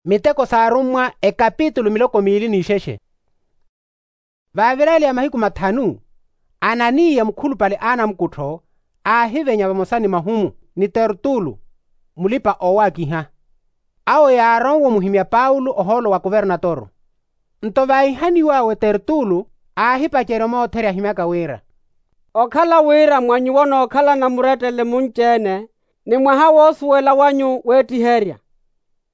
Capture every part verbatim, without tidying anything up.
Miteko s'arummwa ekapitulu miloko miili n'ixexe. Vaaviraliya mahiku mathanu, ananiya mukhulupale a anamukuttho aahivenya vamosa ni mahumu ni tertulo, mulipa-owakiha. Awo yaaronwe omuhimya paulo ohoolo wa kuvernatoro. Nto vaahihaniw'awe tertulo, aahipacerya omootheri ahimyaka wira, okhala wira mwa nyuwo onookhalana murettele munci-ene, ni mwaha woosuwela wanyu weettiherya.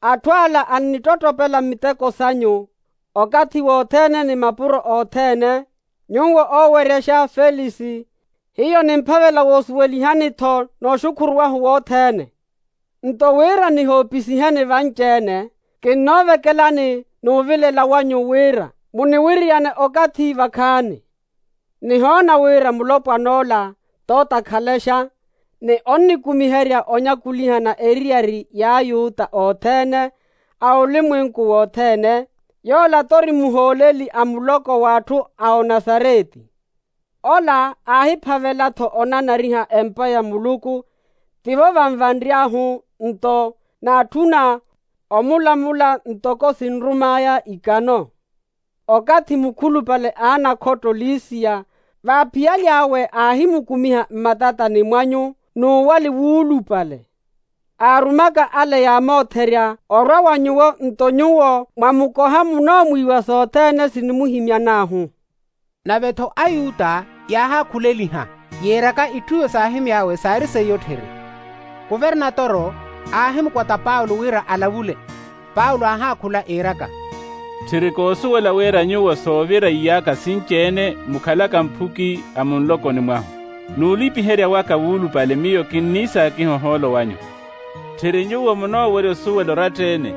Atthu ala annittottopela miteko sanyu, okathi wothene ni mapuro othene. Nyuwo ooweryaxa felisi, hiyo nimphavela woosuweliha-ni-tho nooxukhuruwahu wothene. Nto wira nihoopisiheni vanci-ene, kinnoovekelani n'uvilela wanyu wira muniwiriyane okathi vakhaani. Nihoona wira mulopwan'ola t'otakhalexa, ni onnikumiherya onyakulihana eriyari y'ayuta othene a olimwenku wothene. Yola t'ori muhooleli a muloko w'atthu a onasareti. Ola aahiphavela-tho onanariha empa ya muluku, tivo vanvanry'ahu nto naatthuna omulamula ntoko sinrum'aya ikano. Okathi mukhulupale a anakhotto liisiya, vaaphiyaly'awe aahimukumiha mmatatani mwanyu n'uwali wuulupale. Aarumaka ale yaamootherya orwa wa nyuwo nto nyuwo mwamukoha munoomwiiwa sothene sinimuhimyan'ahu. Nave-tho ayuta yaahaakhuleliha, yiiraka itthu iyo saahimy'awe saari seiya otthiri. Kuvernatoro aahimukwata paulo wira alavule. Paulo aahaakhula iiraka, tthiri koosuwela wira nyuwo soovira iyaaka sinci-ene mukhalaka mphuki a munlokoni mwahu. N'ulipiherya waka wuulupale miyo kinniisaakiha ohoolo wanyu. Tthiri nyuwo munoowerya osuwela oratta-ene,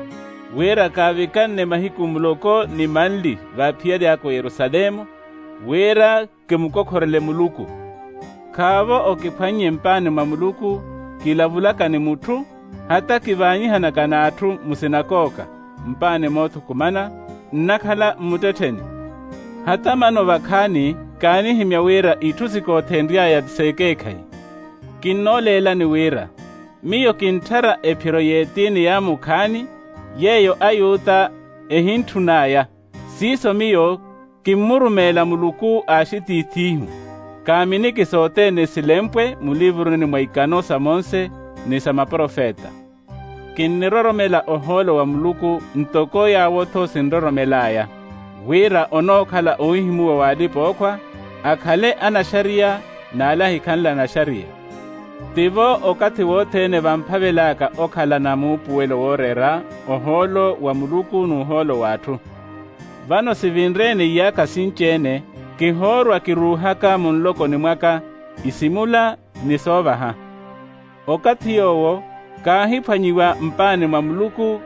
wira kaavikanne mahiku muloko ni manli vaaphiyaly'aka oyerusalemu, wira kimukokhorele muluku. Khaavo okiphwannye mpaani mwa muluku, kilavulaka ni mutthu, hata kivaanyihanaka n'atthu musinakooka, mpaani moothukumana, nnakhala mmuttettheni. Hata mano vakhaani kaanihimya wira itthu sikoothenry'aya ti s'ekeekhayi. Kinnooleelani wira miyo kintthara ephiro y'etiini ya mukhaani, yeeyo ayuta ehintthun'aya. Siiso miyo kimmurumeela muluku a axitiith'ihu. Kaaminiki sothene silempwe mulivuruni mwa ikano sa monse ni sa maprofeta. Kinniroromela ohoolo wa muluku ntoko yaawo-tho sinroromel'aya, wira onookhala owihimuwa w'alipa-ookhwa, akhale anaxariya n'ale ahikhanle anaxariya. Tivo okathi wothene vamphavel'aka okhala na muupuwelo wooreera ohoolo wa muluku n'uhoolo w'atthu. Vano sivinre-ene iyaakha sinci-ene, kihoorwa kiruuhaka munlokoni mwaka isimula ni soovaha. Okathi yoowo kaahiphwanyiwa mpaani mwa muluku,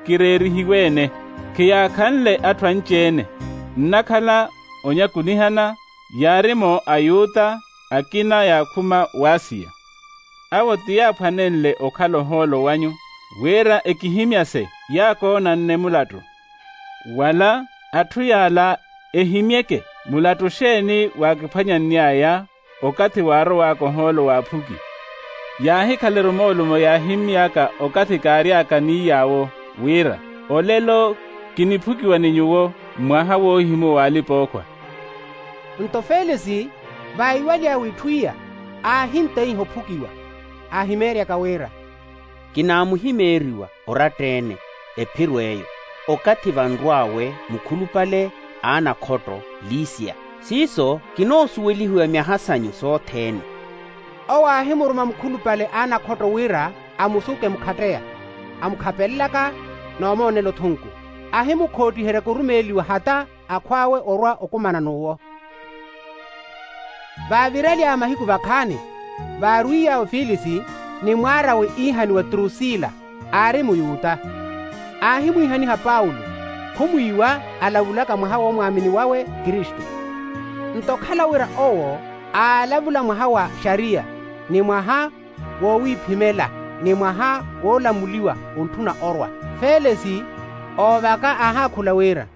kireerihiwe-ene, khiyaakhanle atthu anci-ene. Nnakhala onyakulihana, yaari-mo ayuta, akina yaakhuma w'asiya. Awo ti yaaphwanenle okhala ohoolo wanyu, wira ekihimyase yaakoonanne mulattu. Wala atthu yaala ehimyeke mulattu xeeni waakiphwanyanny'aya okathi waarow'aka ohoolo w'aphuki. Yaahikhala erumoolumo yaahimy'aka okathi kaary'aka ni yaawo, wira olelo kiniphukiwa ni nyuwo mwaha woohimuwa w'alipa-ookhwa. Nto felisi vaiwaly'awe itthu iya, aahinteiha ophukiwa, aahimeeryaka wira, kinaamuhimeeriwa oratta-ene ephiro eyo, okathi vanrw'awe mukhulupale a anakhotto lisiya. Siiso kinoosuwelihiwa myaha sanyu sothene. Owo aahimuruma mukhulupale a anakhotto wira amusuke mukhatteya, amukhapelelaka noomoonela othunku. Ahimukhoottiheriya kurumeeliwa hata akhw'awe orwa okumana n'uwo. Vaavirelya mahiku vakhaani, vaarwiiy'awe filisi ni mwaar'awe iihaniwa trusila, aari muyuta. Aahimwiihaniha paulo, khumwiiwa alavulaka mwaha w'omwaamini wawe kristu. Nto okhala wira owo aalavula mwaha wa xariya, ni mwaha wowiiphimela, ni mwaha woolamuliwa ontthuna orwa, felisi oovaka aahaakhula wira,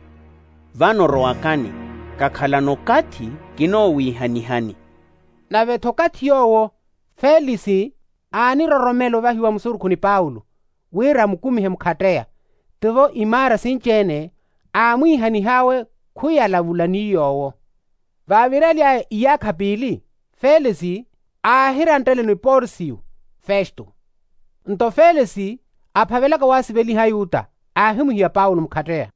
vano rowakani, kakhalana okathi kinoowiihanihani. Nave-tho okathi yoowo felisi aaniroromela ovahiwa musurukhu ni paulo, wira amukumihe mukhatteya. tivo imaara sinci-ene aamwiihanih'awe khwiyalavula ni yoowo. Vaavirely'aya iyaakha piili, felisi aahirantteleno eporsiyo festo. Nto felisi aphavelaka waasiveliha ayuta, aahimwihiya paulo mukhatteya.